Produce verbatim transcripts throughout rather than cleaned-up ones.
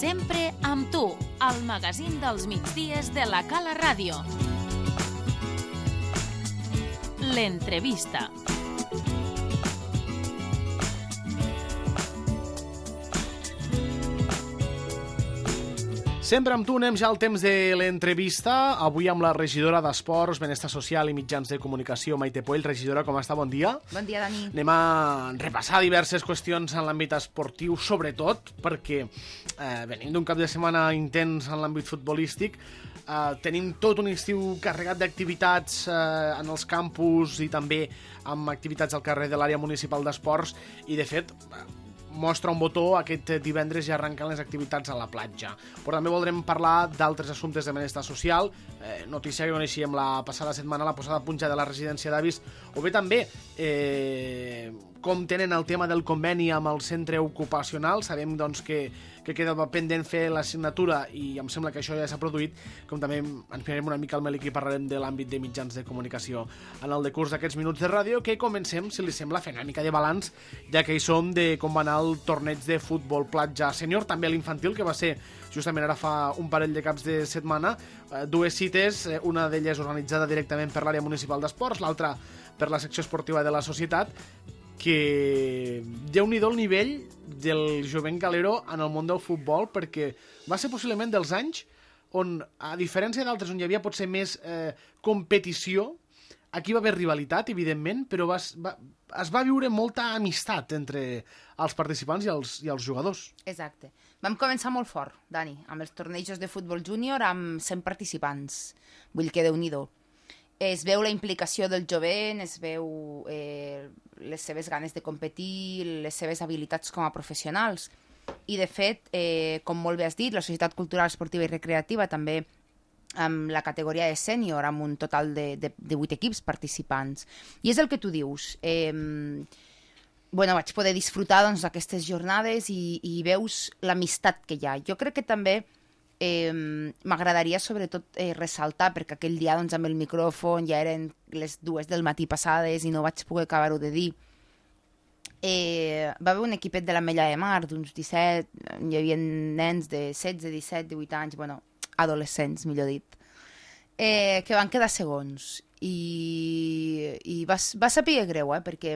Sempre amb tu, al magazín dels migdies de la Cala Ràdio. L'entrevista. Sempre amb tu anem ja al temps de l'entrevista. Avui amb la regidora d'Esports, Benestar Social i Mitjans de Comunicació, Maite Puell. Regidora, com està? Bon dia. Bon dia, Dani. Anem a repassar diverses qüestions en l'àmbit esportiu, sobretot perquè eh, venim d'un cap de setmana intens en l'àmbit futbolístic. Eh, tenim tot un estiu carregat d'activitats eh, en els campus i també amb activitats al carrer de l'àrea municipal d'esports i, de fet, mostra un botó, aquest divendres ja arrenquen les activitats a la platja. Però també voldrem parlar d'altres assumptes de benestar social, eh, notícia que coneixíem la passada setmana, la posada a punta de la residència d'avis, o bé també eh, com tenen el tema del conveni amb el centre ocupacional. Sabem doncs, que, que queda pendent fer la signatura i em sembla que això ja s'ha produït, com també ens mirarem una mica al Melic i parlarem de l'àmbit de mitjans de comunicació en el decurs d'aquests minuts de ràdio, que comencem, si li sembla, fent una mica de balanç, ja que hi som, de com va anar el torneig de futbol platja sènior, també l'infantil, que va ser justament ara fa un parell de caps de setmana. Eh, dues cites, eh, una d'elles organitzada directament per l'àrea municipal d'esports, l'altra per la secció esportiva de la societat, que déu-n'hi-do el nivell del jovent galero en el món del futbol, perquè va ser possiblement dels anys on, a diferència d'altres on hi havia potser més eh, competició, aquí va haver rivalitat, evidentment, però va, va, es va viure molta amistat entre els participants i els, i els jugadors. Exacte. Vam començar molt fort, Dani, amb els tornejos de futbol júnior amb cent participants. Vull que déu-n'hi-do. Es veu la implicació del jovent, es veu eh, les seves ganes de competir, les seves habilitats com a professionals. I, de fet, eh, com molt bé has dit, la Societat Cultural, Esportiva i Recreativa també amb la categoria de sènior, amb un total de, de, de vuit equips participants. I és el que tu dius. Eh, bueno, vaig poder disfrutar doncs, d'aquestes jornades i, i veus l'amistat que hi ha. Jo crec que també Eh, m'agradaria sobretot eh, ressaltar, perquè aquell dia doncs, amb el micròfon ja eren les dues del matí passades i no vaig poder acabar-ho de dir. Eh, va haver un equipet de l'Ametlla de Mar d'uns disset, hi havia nens de setze, disset, divuit anys, bueno, adolescents, millor dit, eh, que van quedar segons. I, i va, va saber greu, eh, perquè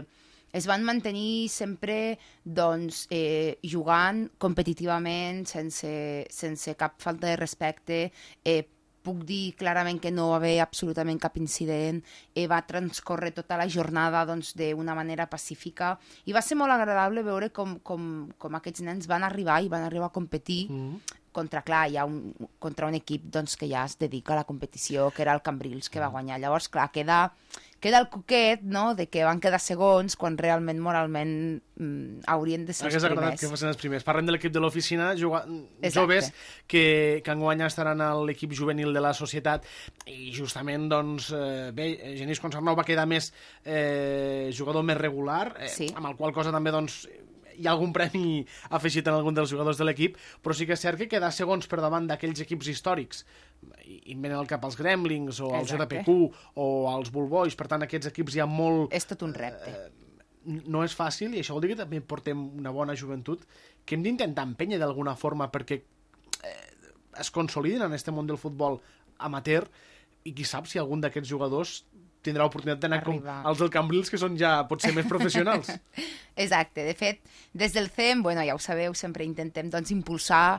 es van mantenir sempre doncs, eh, jugant competitivament, sense, sense cap falta de respecte. Eh, puc dir clarament que no va haver absolutament cap incident. Eh, va transcorrer tota la jornada doncs, d'una manera pacífica. I va ser molt agradable veure com, com, com aquests nens van arribar i van arribar a competir mm. contra, clar, hi ha un, contra un equip doncs, que ja es dedica a la competició, que era el Cambrils, que va guanyar. Llavors, clar, queda... queda el coquet, no?, de que van quedar segons quan realment moralment mm, haurien de ser els primers. Hauria agradat que fossin els primers. Parlem de l'equip de l'oficina, joves que, que enguany estaran a l'equip juvenil de la societat i justament, doncs, eh, bé, Genís Consarnau va quedar més eh, jugador més regular, eh, sí. amb el qual cosa també, doncs, hi ha algun premi afegit en algun dels jugadors de l'equip, però sí que és cert que quedar segons per davant d'aquells equips històrics, i em venen al cap els Gremlings o els J P Q o els Bull Boys, per tant aquests equips hi ha molt... És tot un repte. Eh, no és fàcil, i això vol dir que també portem una bona joventut que hem d'intentar empènyer d'alguna forma perquè eh, es consolidin en aquest món del futbol amateur, i qui sap si algun d'aquests jugadors tindrà l'oportunitat d'anar com els del Cambrils, que són ja potser més professionals. Exacte. De fet, des del C E M, bueno, ja ho sabeu, sempre intentem doncs, impulsar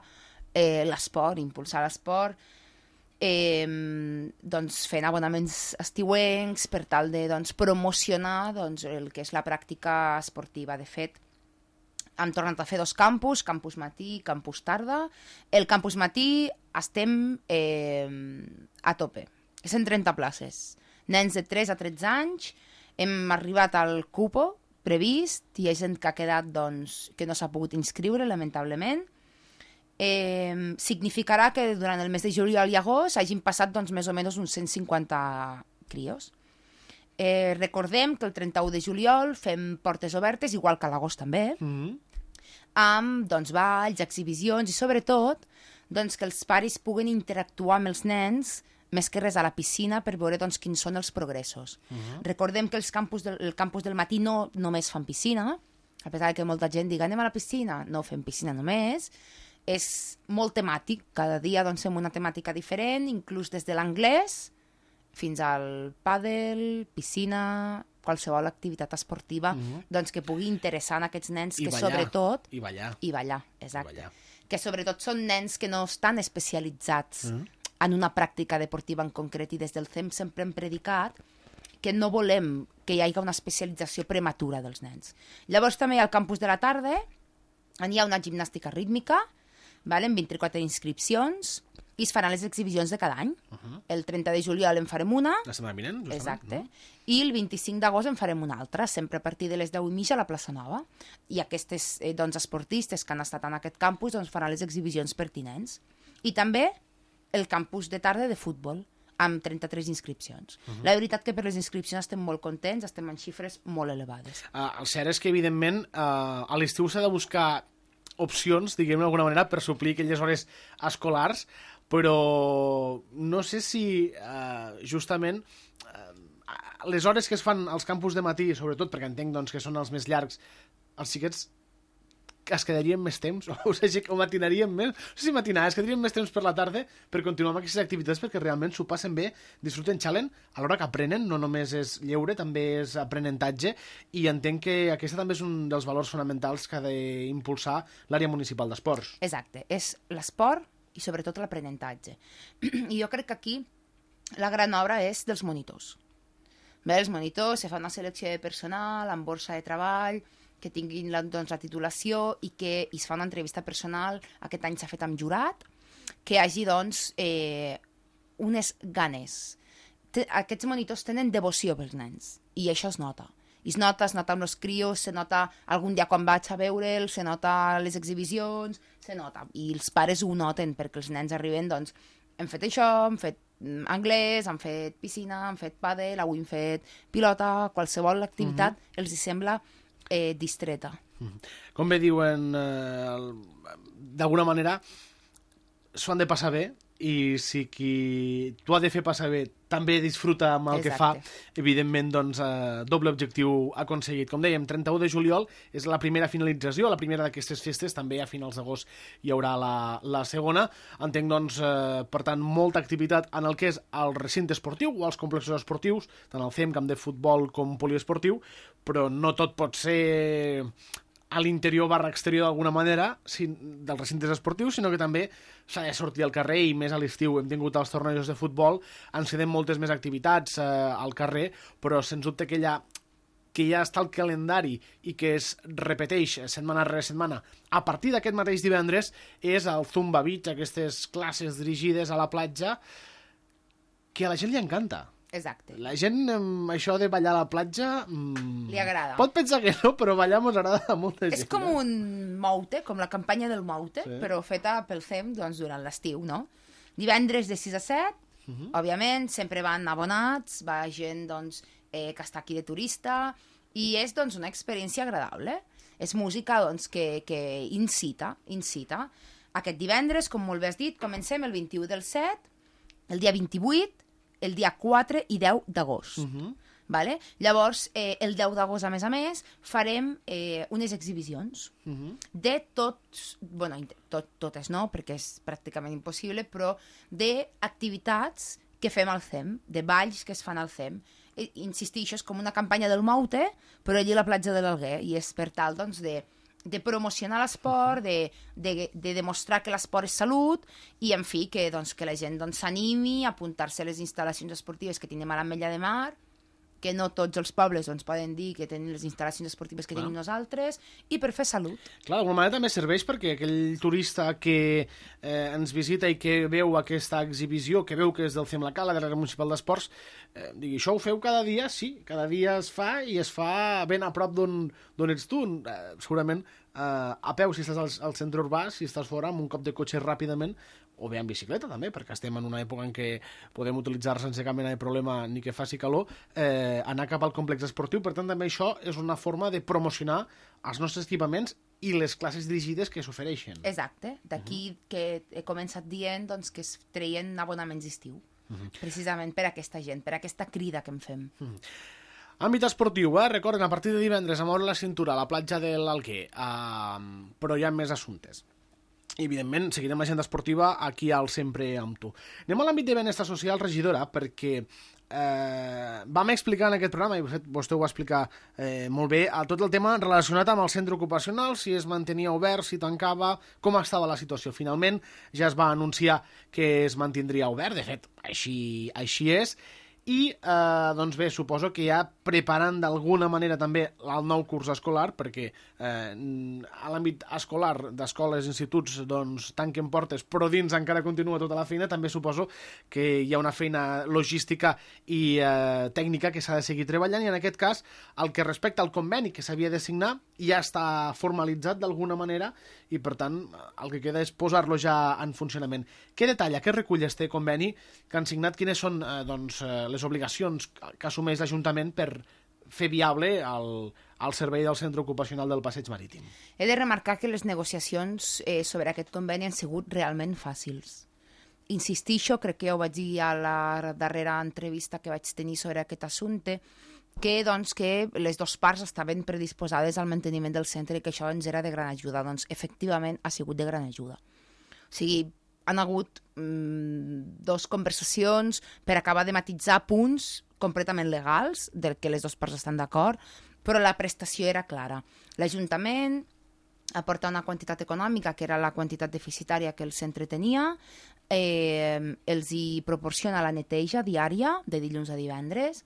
eh, l'esport, impulsar l'esport, eh, doncs, fent abonaments estiuencs per tal de doncs, promocionar doncs, el que és la pràctica esportiva. De fet, hem tornat a fer dos campus, campus matí i campus tarda. El campus matí estem eh, a tope. És en trenta places. Nens de tres a tretze anys, hem arribat al cupo previst, hi ha gent que ha quedat, doncs, que no s'ha pogut inscriure, lamentablement. Eh, significarà que durant el mes de juliol i agost hagin passat doncs, més o menys uns cent cinquanta crios. Eh, recordem que el trenta-u de juliol fem portes obertes, igual que a l'agost també, mm-hmm. amb doncs, balls, exhibicions i sobretot doncs, que els pares puguen interactuar amb els nens més que res a la piscina per veure doncs, quins són els progressos. Uh-huh. Recordem que els campus del, el campus del matí no només fan piscina, a pesar que molta gent diga anem a la piscina, no fem piscina només, és molt temàtic, cada dia doncs, fem una temàtica diferent, inclús des de l'anglès fins al pàdel, piscina, qualsevol activitat esportiva uh-huh. doncs, que pugui interessar en aquests nens I que ballar. sobretot... I ballar. I ballar, exacte. I ballar. Que sobretot són nens que no estan especialitzats uh-huh. en una pràctica deportiva en concret i des del C E M sempre hem predicat que no volem que hi hagi una especialització prematura dels nens. Llavors també al campus de la tarda hi ha una gimnàstica rítmica, vale, amb vint-i-quatre inscripcions, i es faran les exhibicions de cada any. Uh-huh. El trenta de juliol en farem una. La setmana vinent, justament. Exacte. Uh-huh. I el vint-i-cinc d'agost en farem una altra, sempre a partir de les deu i mitja a la plaça Nova. I aquestes eh, doncs, esportistes que han estat en aquest campus doncs, faran les exhibicions pertinents. I també el campus de tarda de futbol, amb trenta-tres inscripcions. Uh-huh. La veritat que per les inscripcions estem molt contents, estem en xifres molt elevades. Uh, el cert és que, evidentment, uh, a l'estiu s'ha de buscar opcions, diguem-ne d'alguna manera, per suplir aquelles hores escolars, però no sé si uh, justament uh, les hores que es fan als campus de matí, sobretot perquè entenc doncs, que són els més llargs, els xiquets es quedarien més temps, o sigui, o matinaríem més, no sé si matinar, es quedarien més temps per la tarda per continuar amb aquestes activitats perquè realment s'ho passen bé, disfruten, xalen, a l'hora que aprenen, no només és lleure, també és aprenentatge, i entenc que aquest també és un dels valors fonamentals que ha d'impulsar l'àrea municipal d'esports. Exacte, és l'esport i sobretot l'aprenentatge. I jo crec que aquí la gran obra és dels monitors. Bé, els monitors se fa una selecció de personal amb borsa de treball, que tinguin la, doncs, la titulació i que es fa una entrevista personal, aquest any s'ha fet amb jurat, que hi hagi doncs, eh, unes ganes. Te, aquests monitors tenen devoció pels nens i això es nota. I es nota, es nota amb els crios, se nota algun dia quan vaig a veure'ls, se nota a les exhibicions, se nota. I els pares ho noten perquè els nens arriben, doncs, hem fet això, hem fet anglès, han fet piscina, han fet pàdel, avui hem fet pilota, qualsevol activitat mm-hmm. els hi sembla eh, distreta. Com bé diuen, eh, d'alguna manera s'ho han de passar bé, i si qui t'ho ha de fer passar bé també disfruta amb el Exacte. que fa, evidentment, doncs, eh, doble objectiu aconseguit. Com dèiem, trenta-u de juliol és la primera finalització, la primera d'aquestes festes, també a finals d'agost hi haurà la, la segona. Entenc, doncs, eh, per tant, molta activitat en el que és el recinte esportiu o els complexos esportius, tant el C E M, camp de futbol com poliesportiu, però no tot pot ser a l'interior barra exterior d'alguna manera si, dels recintes esportius, sinó que també s'ha de sortir al carrer, i més a l'estiu hem tingut els tornejos de futbol, ens queden moltes més activitats eh, al carrer, però sens dubte que ja, que ja està el calendari i que es repeteix setmana rere setmana a partir d'aquest mateix divendres és el Zumba Beach, aquestes classes dirigides a la platja que a la gent li encanta. Exacte. La gent, això de ballar a la platja... Mmm, li agrada. Pot pensar que no, però ballar mos agrada a molta gent. És com un moute, com la campanya del moute, sí. però feta pel C E M doncs, durant l'estiu, no? Divendres de sis a set, uh-huh. òbviament, sempre van abonats, va gent doncs, eh, que està aquí de turista, i és doncs, una experiència agradable. És música doncs, que, que incita, incita. Aquest divendres, com molt bé has dit, comencem el vint-i-u del set, el dia vint-i-vuit, el dia quatre i deu d'agost. Uh-huh. Vale? Llavors, eh, el deu d'agost, a més a més, farem eh, unes exhibicions uh-huh. de tots, bueno, tot, totes no, perquè és pràcticament impossible, però d'activitats que fem al C E M, de balls que es fan al C E M. I, insistixo, és com una campanya del Moute, però allí a la platja de l'Alguer, i és per tal, doncs, de de promocionar l'esport, de, de, de demostrar que l'esport és salut i, en fi, que, doncs, que la gent doncs, s'animi a apuntar-se a les instal·lacions esportives que tenim a l'Ametlla de Mar, que no tots els pobles doncs, poden dir que tenen les instal·lacions esportives que Clar. tenim nosaltres, i per fer salut. Clar, d'alguna manera també serveix perquè aquell turista que eh, ens visita i que veu aquesta exhibició, que veu que és del C E M La Cala, de l'àrea municipal d'esports, eh, digui, això ho feu cada dia? Sí, cada dia es fa, i es fa ben a prop d'on ets tu. Eh, segurament eh, a peu si estàs al, al centre urbà, si estàs fora, amb un cop de cotxe ràpidament, o bé en bicicleta també, perquè estem en una època en què podem utilitzar sense cap mena de problema ni que faci calor, eh, anar cap al complex esportiu. Per tant, també això és una forma de promocionar els nostres equipaments i les classes dirigides que s'ofereixen. Exacte, d'aquí uh-huh. que he començat dient doncs, que es treien abonaments d'estiu, uh-huh. precisament per a aquesta gent, per a aquesta crida que en fem. Uh-huh. Àmbit esportiu, eh? Recorden, a partir de divendres a moure la cintura a la platja de l'Alguer, uh, però hi ha més assumptes. i, evidentment, seguirem l'agenda esportiva aquí al Sempre amb tu. Anem a l'àmbit de benestar social, regidora, perquè eh, vam explicar en aquest programa, i vostè ho va explicar eh, molt bé, a tot el tema relacionat amb el centre ocupacional, si es mantenia obert, si tancava, com estava la situació. Finalment ja es va anunciar que es mantindria obert, de fet, així, així és, i eh, doncs bé, suposo que ja preparant d'alguna manera també el nou curs escolar, perquè eh, a l'àmbit escolar d'escoles, instituts, doncs tanquen portes, però dins encara continua tota la feina, també suposo que hi ha una feina logística i eh, tècnica que s'ha de seguir treballant, i en aquest cas el que respecta al conveni que s'havia de signar ja està formalitzat d'alguna manera, i per tant el que queda és posar-lo ja en funcionament. Què detalla, què recull este conveni que han signat, quines són eh, doncs, les obligacions que assumeix l'Ajuntament per fer viable el, el servei del centre ocupacional del Passeig Marítim? He de remarcar que les negociacions eh, sobre aquest conveni han sigut realment fàcils. Insistixo, crec que ja ho vaig dir a la darrera entrevista que vaig tenir sobre aquest assumpte, que, doncs, que les dues parts estaven predisposades al manteniment del centre i que això ens era de gran ajuda. Doncs, efectivament, ha sigut de gran ajuda. O sigui, han hagut mmm, dos conversacions per acabar de matitzar punts completament legals, del que les dues parts estan d'acord, però la prestació era clara. L'Ajuntament aporta una quantitat econòmica, que era la quantitat deficitària que el centre tenia, eh, els hi proporciona la neteja diària, de dilluns a divendres,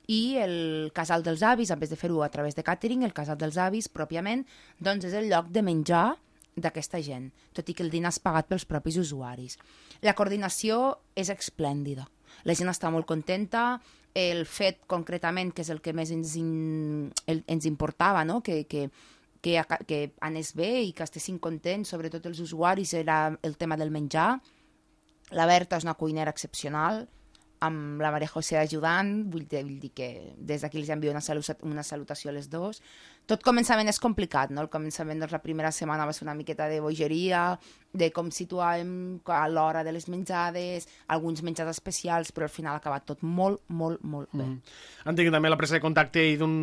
i el casal dels avis, en vez de fer-ho a través de càtering, el casal dels avis, pròpiament, doncs és el lloc de menjar d'aquesta gent, tot i que el dinar és pagat pels propis usuaris. La coordinació és esplèndida. La gent està molt contenta. El fet, concretament, que és el que més ens, in, el, ens importava, no? que, que, que, que anés bé i que estessin contents, sobretot els usuaris, era el tema del menjar. La Berta és una cuinera excepcional, amb la Maria José ajudant, vull dir, vull dir que des d'aquí els envio una, salut, una salutació a les dues. Tot començament és complicat, no? El començament, doncs, la primera setmana va ser una miqueta de bogeria, de com situàvem a l'hora de les menjades, alguns menjars especials, però al final ha acabat tot molt, molt, molt bé. Mm. Entenc també la presa de contacte i d'un...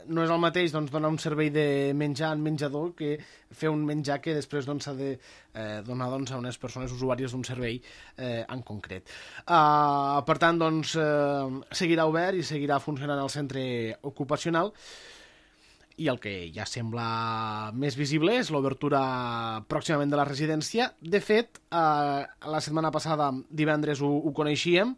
no és el mateix doncs, donar un servei de menjar en menjador que fer un menjar que després doncs, s'ha de eh, donar doncs, a unes persones usuàries d'un servei eh, en concret. Uh, per tant, doncs, eh, seguirà obert i seguirà funcionant el centre ocupacional, i el que ja sembla més visible és l'obertura pròximament de la residència. De fet, eh, la setmana passada, divendres, ho, ho coneixíem,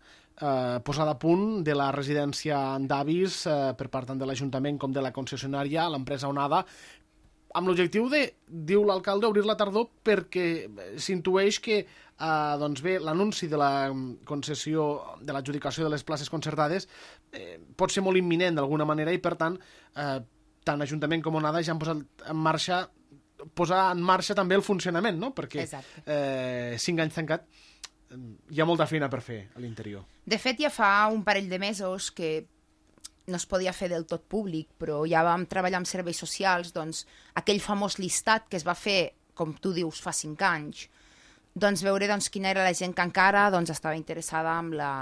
eh, posada a punt de la residència d'avis eh, per part tant de l'Ajuntament com de la concessionària, l'empresa Onada, amb l'objectiu de, diu l'alcalde, obrir la tardor perquè s'intueix que eh, doncs bé, l'anunci de la concessió, de l'adjudicació de les places concertades eh, pot ser molt imminent d'alguna manera, i per tant eh, tant Ajuntament com Onada ja han posat en marxa, posar en marxa també el funcionament, no? Perquè eh, cinc anys tancat hi ha molta feina per fer a l'interior. De fet, ja fa un parell de mesos que no es podia fer del tot públic, però ja vam treballar amb serveis socials, doncs aquell famós llistat que es va fer, com tu dius, fa cinc anys, doncs veure doncs, quina era la gent que encara doncs, estava interessada en la...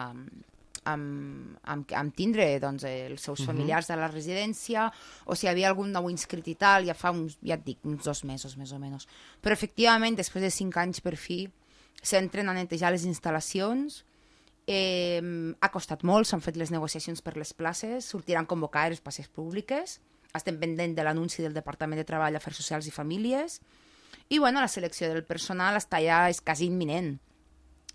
Amb, amb, amb tindre doncs, els seus familiars de la residència, o si hi havia algun nou inscrit i tal, ja fa uns, ja et dic, uns dos mesos més o menys. Però efectivament, després de cinc anys per fi, s'entren a netejar les instal·lacions. Eh, ha costat molt, s'han fet les negociacions per les places, sortiran convocades les places públiques, estem pendent de l'anunci del Departament de Treball, Afers Socials i Famílies, i bueno, la selecció del personal està ja és quasi imminent.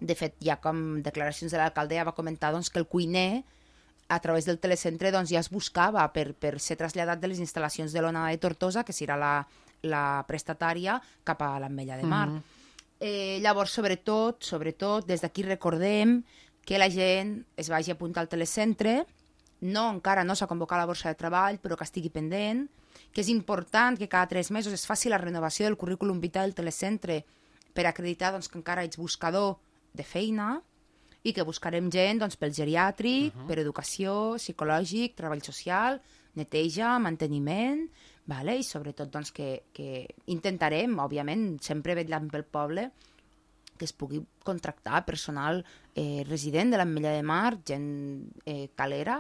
De fet, ja com declaracions de l'alcalde ja va comentar doncs, que el cuiner, a través del telecentre, doncs, ja es buscava per, per ser traslladat de les instal·lacions de l'Onada de Tortosa, que serà la, la prestatària, cap a l'Ametlla de Mar. Mm-hmm. eh, llavors, sobretot, sobretot, des d'aquí recordem que la gent es vagi a apuntar al telecentre, no, encara no s'ha convocat la borsa de treball, però que estigui pendent, que és important que cada tres mesos es faci la renovació del currículum vital del telecentre per acreditar doncs, que encara ets buscador de feina, i que buscarem gent doncs, pel geriàtric, uh-huh. per educació, psicològic, treball social, neteja, manteniment, vale? I sobretot doncs, que, que intentarem, òbviament, sempre vetllant pel poble, que es pugui contractar personal eh, resident de l'Ametlla de Mar, gent eh, calera,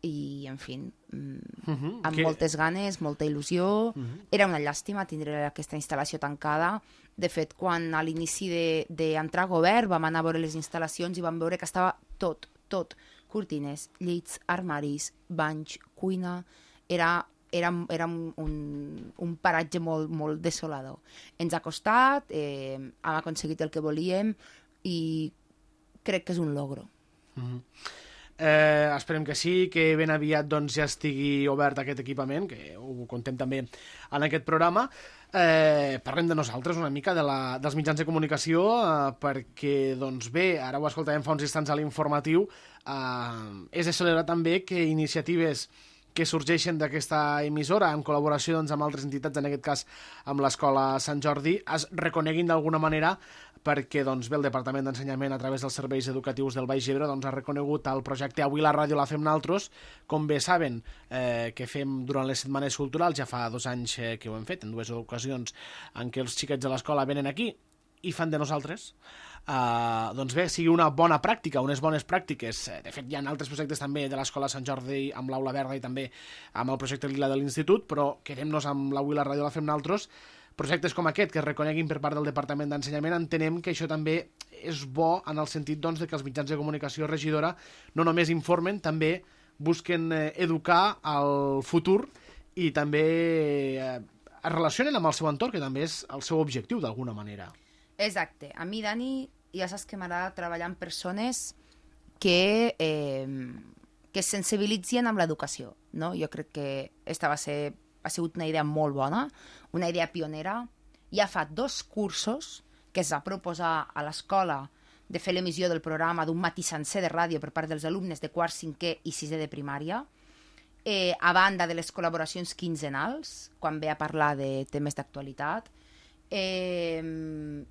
i, en fi, mm, Uh -huh. amb que... moltes ganes, molta il·lusió. Uh -huh. Era una llàstima tindre aquesta instal·lació tancada. De fet, quan a l'inici d'entrar a govern vam anar a veure les instal·lacions i vam veure que estava tot, tot, cortines, llits, armaris, banys, cuina, era, era, era un, un paratge molt, molt desolador. Ens ha costat, eh, hem aconseguit el que volíem i crec que és un logro. Uh-huh. Eh, esperem que sí, que ben aviat doncs, ja estigui obert aquest equipament, que ho contem també en aquest programa. Eh, parlem de nosaltres una mica, de la, dels mitjans de comunicació, eh, perquè, doncs bé, ara ho escoltàvem fa uns instants a l'informatiu, eh, és de celebrar també que iniciatives que sorgeixen d'aquesta emissora en col·laboració doncs, amb altres entitats, en aquest cas amb l'Escola Sant Jordi, es reconeguin d'alguna manera perquè doncs, bé, el Departament d'Ensenyament a través dels serveis educatius del Baix Ebre doncs, ha reconegut el projecte Avui la ràdio la fem naltros, com bé saben eh, que fem durant les setmanes culturals, ja fa dos anys eh, que ho hem fet, en dues ocasions en què els xiquets de l'escola venen aquí i fan de nosaltres. Uh, doncs bé, sigui una bona pràctica, unes bones pràctiques. De fet, hi ha altres projectes també de l'Escola Sant Jordi amb l'Aula Verda i també amb el projecte Lila de l'Institut, però quedem-nos amb l'Avui la ràdio la fem naltros. Projectes com aquest que es reconeguin per part del Departament d'Ensenyament, entenem que això també és bo en el sentit doncs, de que els mitjans de comunicació regidora no només informen, també busquen eh, educar al futur i també eh, es relacionen amb el seu entorn, que també és el seu objectiu d'alguna manera. Exacte. A mi, Dani, ja saps que m'agrada treballar amb persones que, eh, que es sensibilitzin amb l'educació, no? Jo crec que esta va ser, ha sigut una idea molt bona, una idea pionera. Ja fa dos cursos que es va proposar a l'escola de fer l'emissió del programa d'un matí sencer de ràdio per part dels alumnes de quart, cinquè i sisè de primària, eh, a banda de les col·laboracions quinzenals, quan ve a parlar de temes d'actualitat. Eh,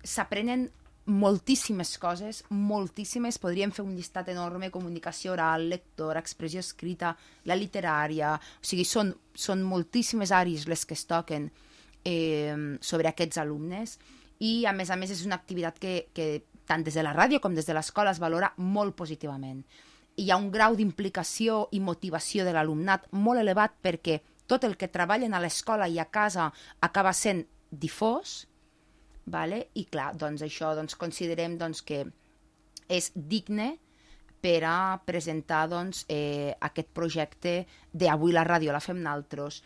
s'aprenen moltíssimes coses, moltíssimes, podríem fer un llistat enorme: comunicació oral, lectora, expressió escrita, la literària, o sigui, són, són moltíssimes àrees les que es toquen eh, sobre aquests alumnes, i a més a més és una activitat que, que tant des de la ràdio com des de l'escola es valora molt positivament. Hi ha un grau d'implicació i motivació de l'alumnat molt elevat, perquè tot el que treballen a l'escola i a casa acaba sent difós. Vale? I clar, doncs això doncs, considerem doncs, que és digne per a presentar doncs, eh, aquest projecte d'Avui la ràdio la fem naltros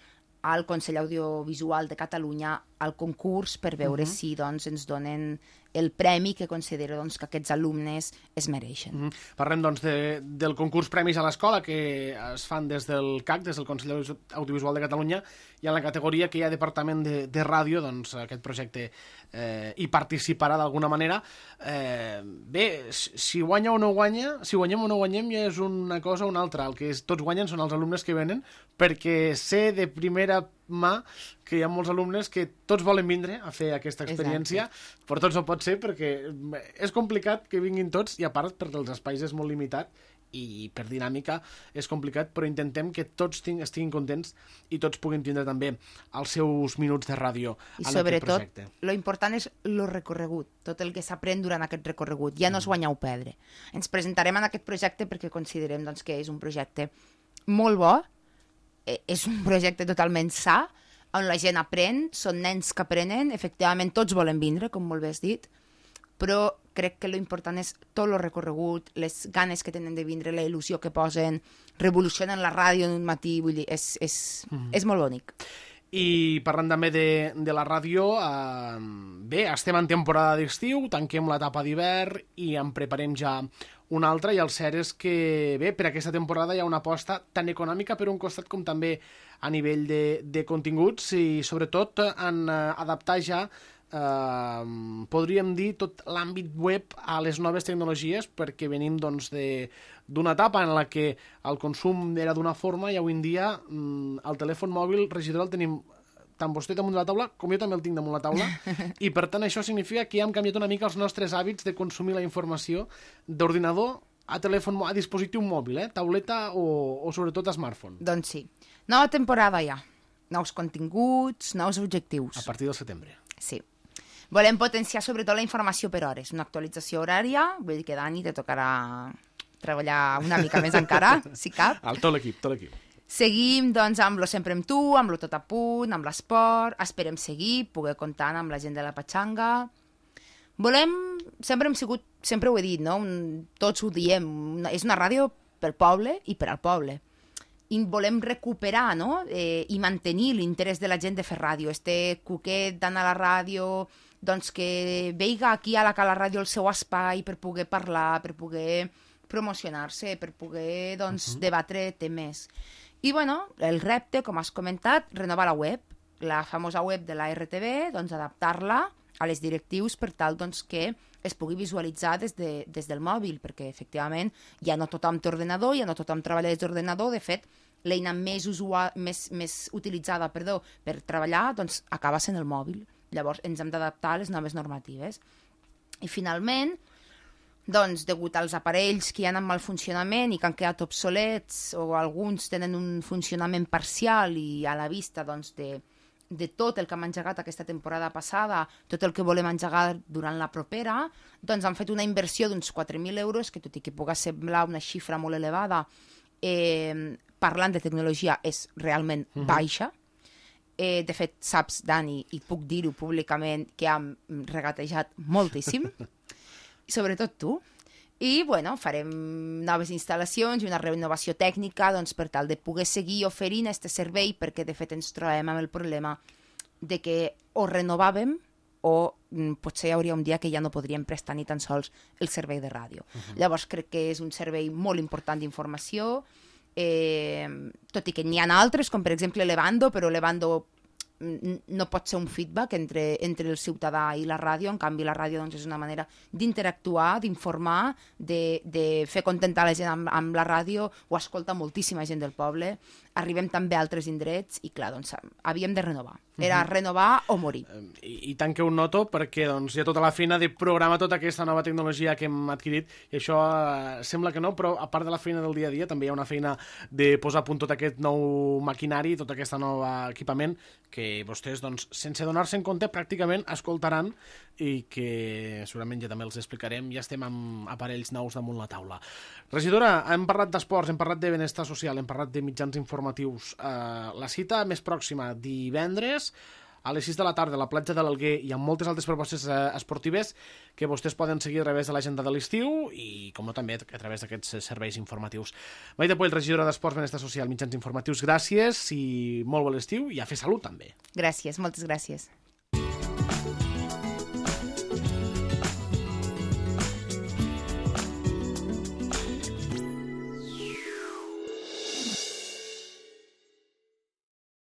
al Consell Audiovisual de Catalunya, al concurs, per veure uh -huh. si doncs, ens donen el premi que considero doncs, que aquests alumnes es mereixen. Uh -huh. Parlem doncs, de, del concurs Premis a l'Escola, que es fan des del C A C, des del Consell Audiovisual de Catalunya, i en la categoria que hi ha Departament de, de Ràdio, doncs aquest projecte eh, hi participarà d'alguna manera. Eh, bé, si guanya o no guanya, si guanyem o no guanyem ja és una cosa o una altra. El que és, tots guanyen són els alumnes que venen, perquè sé de primera mà que hi ha molts alumnes que tots volen vindre a fer aquesta experiència. Exacte. Però tots no pot ser, perquè és complicat que vinguin tots, i a part perquè els espais és molt limitat i per dinàmica és complicat, però intentem que tots estiguin contents i tots puguin tindre també els seus minuts de ràdio en aquest projecte. I sobretot, lo important és lo recorregut, tot el que s'aprèn durant aquest recorregut. Ja no és guanyar o perdre. Ens presentarem en aquest projecte perquè considerem doncs, que és un projecte molt bo, és un projecte totalment sa, on la gent aprèn, són nens que aprenen, efectivament tots volen vindre, com molt bé has dit, però crec que l'important és tot el recorregut, les ganes que tenen de vindre, la il·lusió que posen, revolucionen la ràdio en un matí, vull dir, és, és, mm. és molt bonic. I parlant també de, de la ràdio, eh, bé, estem en temporada d'estiu, tanquem l'etapa d'hivern i en preparem ja una altra, i el cert és que, bé, per aquesta temporada hi ha una aposta tan econòmica per un costat com també a nivell de, de continguts, i sobretot en eh, adaptar ja Uh, podríem dir tot l'àmbit web a les noves tecnologies, perquè venim doncs, d'una etapa en la que el consum era d'una forma i avui en dia um, el telèfon mòbil, regidor, el tenim tant vostè damunt de la taula com jo també el tinc damunt la taula, i per tant això significa que ja hem canviat una mica els nostres hàbits de consumir la informació d'ordinador a telèfon, a dispositiu mòbil, eh? Tauleta o, o sobretot a smartphone. Doncs sí. Nova temporada ja. Nous continguts, nous objectius. A partir del setembre. Sí. Volem potenciar sobretot la informació per hores, una actualització horària, vull dir que, Dani, te tocarà treballar una mica més encara, si cap. El tot l'equip, tot l'equip. Seguim, doncs, amb lo Sempre amb tu, amb lo Tot a punt, amb l'esport, esperem seguir, poder comptar amb la gent de la Patxanga. Volem, sempre hem sigut, sempre ho he dit, no? Un, tots ho diem, una, és una ràdio pel poble i per al poble. I volem recuperar, no?, eh, i mantenir l'interès de la gent de fer ràdio. Este cuquet d'anar a la ràdio, doncs que veiga aquí a la Cala Ràdio el seu espai per poder parlar, per poder promocionar-se, per poder, doncs, uh-huh. debatre temes. I, bueno, el repte, com has comentat, renovar la web, la famosa web de la R T V, doncs adaptar-la a les directius per tal doncs, que es pugui visualitzar des, de, des del mòbil, perquè efectivament ja no tothom té ordenador, ja no tothom treballa des d'ordenador, de fet, l'eina més, usua, més, més utilitzada perdó, per treballar doncs, acaba sent el mòbil. Llavors ens hem d'adaptar a les noves normatives. I finalment, doncs, degut als aparells que hi ha en mal funcionament i que han quedat obsolets o alguns tenen un funcionament parcial i a la vista doncs, de, de tot el que hem engegat aquesta temporada passada, tot el que volem engegar durant la propera, doncs han fet una inversió d'uns quatre mil euros, que tot i que pugui semblar una xifra molt elevada, eh, parlant de tecnologia és realment uh-huh. baixa. Eh, de fet, saps, Dani, i puc dir-ho públicament, que hem regatejat moltíssim, sobretot tu, i bueno, farem noves instal·lacions i una renovació tècnica doncs, per tal de poder seguir oferint aquest servei, perquè de fet ens trobem amb el problema de que o renovàvem o mm, potser hi hauria un dia que ja no podríem prestar ni tan sols el servei de ràdio. Uh-huh. Llavors crec que és un servei molt important d'informació, eh, tot i que n'hi ha altres, com per exemple Levando, però Levando no pot ser un feedback entre, entre el ciutadà i la ràdio, en canvi la ràdio doncs, és una manera d'interactuar, d'informar, de, de fer contentar la gent amb, amb la ràdio, ho escolta moltíssima gent del poble, arribem també a altres indrets i clar, doncs havíem de renovar. Era uh-huh. renovar o morir. I, I tant que ho noto perquè doncs, hi ha tota la feina de programar tota aquesta nova tecnologia que hem adquirit i això eh, sembla que no, però a part de la feina del dia a dia també hi ha una feina de posar a punt tot aquest nou maquinari, tot aquest nou equipament que vostès, doncs, sense donar-se en compte, pràcticament escoltaran i que segurament ja també els explicarem. Ja estem amb aparells nous damunt la taula. Regidora, hem parlat d'esports, hem parlat de benestar social, hem parlat de mitjans informatius. Uh, la cita més pròxima, divendres, a les sis de la tarda, a la platja de l'Alguer, i amb moltes altres propostes eh, esportives que vostès poden seguir a través de l'agenda de l'estiu i, com no, també a través d'aquests serveis informatius. Maite Puell, regidora d'Esports, Benestar Social, Mitjans Informatius, gràcies i molt bon estiu i a fer salut, també. Gràcies, moltes gràcies.